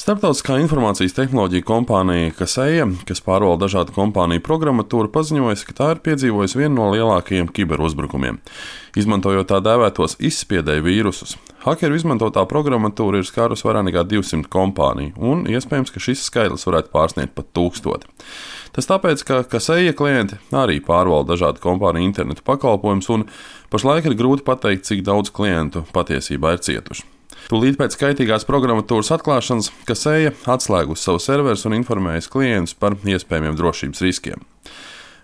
Starptautiskā informācijas tehnoloģija kompānija Kaseya, kas pārvalda dažādu kompāniju programmatūru, paziņojusi, ka tā ir piedzīvojusi vienu no lielākajiem kiberuzbrukumiem. Izmantojot tā dēvētos izspiedēju vīrusus, hakeru izmantotā programmatūra ir skārusi vairāk nekā 200 kompāniju, un iespējams, ka šis skaitlis varētu pārsniegt pat 1000. Tas tāpēc, ka Kaseya klienti arī pārvalda dažādu kompāniju internetu pakalpojumus, un pašlaik ir grūti pateikt, cik daudz klientu patiesībā ir cietuši. Tūlīt pēc kaitīgās programmatūras atklāšanas Kaseya atslēgusi savu serverus un informējusi klientus par iespējamiem drošības riskiem.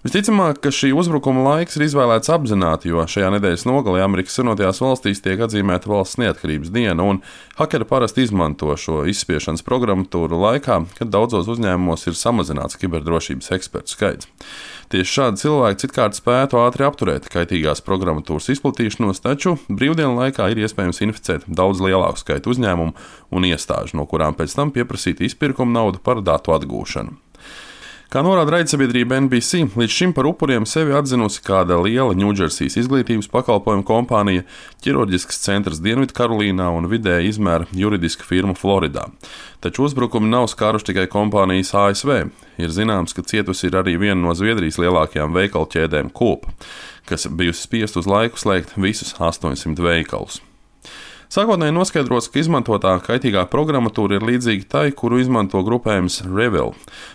Visticamāk, ka šī uzbrukuma laiks ir izvēlēts apzināti, jo šajā nedēļas nogalē Amerikas Savienotajās valstīs tiek atzīmēta valsts neatkarības diena, un hakeri parasti izmanto šo izspiešanas programmatūru laikā, kad daudzos uzņēmumos ir samazināts kiberdrošības ekspertu skaits. Tieši šādi cilvēki citkārt spētu ātri apturēt kaitīgās programmatūras izplatīšanos, taču brīvdienu laikā ir iespējams inficēt daudz lielāku skaitu uzņēmumu un iestāžu, no kurām pēc tam pieprasīt izpirkuma naudu par datu atgūšanu. Kā norāda raidsabiedrība NBC, līdz šim par upuriem sevi atzinusi kāda liela Ņūdžersijas izglītības pakalpojumu kompānija, ķirurģisks centrs Dienvidkarolīnā un vidēja izmēra juridiska firma Floridā. Taču uzbrukumi nav skāruši tikai kompānijas ASV. Ir zināms, ka cietusi ir arī viena no Zviedrijas lielākajām veikalu ķēdēm Coop, kas bijusi spiest uz laiku slēgt visus 800 veikalus. Sākotnēji noskaidrots, ka izmantotā kaitīgā programmatūra ir līdzīga tai, kuru izmanto grupējums Revil.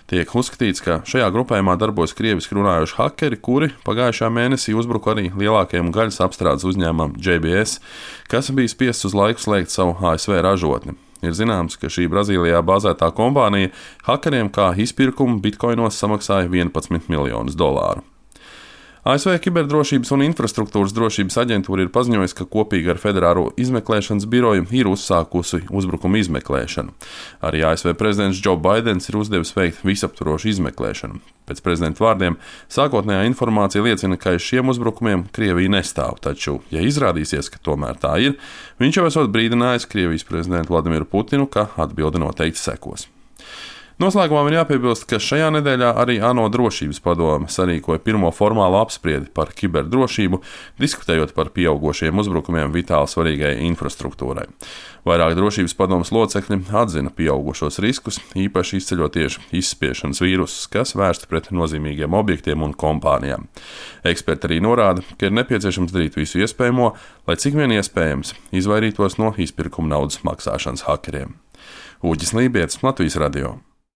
Tiek uzskatīts, ka šajā grupējumā darbojas krieviski runājoši hakeri, kuri pagājušā mēnesī uzbruka arī lielākajam gaļas apstrādes uzņēmumam JBS, kas bija spiests uz laiku slēgt savu ASV ražotni. Ir zināms, ka šī Brazīlijā bāzētā kompānija hakeriem kā izpirkumu bitkoinos samaksāja $11 miljonus. ASV Kiberdrošības un infrastruktūras drošības aģentūra ir paziņojusi, ka kopīgi ar Federālo izmeklēšanas biroju ir uzsākusi uzbrukuma izmeklēšanu. Arī ASV prezidents Joe Baidens ir uzdevis veikt visaptvarošu izmeklēšanu. Pēc prezidenta vārdiem, sākotnējā informācija liecina, ka aiz šiem uzbrukumiem Krievija nestāv, taču, ja izrādīsies, ka tomēr tā ir, viņš jau esot brīdinājis Krievijas prezidentu Vladimiru Putinu, ka atbilde noteikti sekos. Noslēgumā man jāpiebilst, ka šajā nedēļā arī ANO drošības padome sarīkoja pirmo formālu apspriedi par kiberdrošību, diskutējot par pieaugošiem uzbrukumiem vitāli svarīgai infrastruktūrai. Vairāk drošības padomes locekļi atzina pieaugušos riskus, īpaši izceļot tieši izspiešanas vīrusus, kas vērsti pret nozīmīgiem objektiem un kompānijām. Eksperti arī norāda, ka ir nepieciešams darīt visu iespējamo, lai cik vien iespējams izvairītos no izpirkuma naudas maksāšanas hakeriem. Uģis Lībietis, Latvijas radio.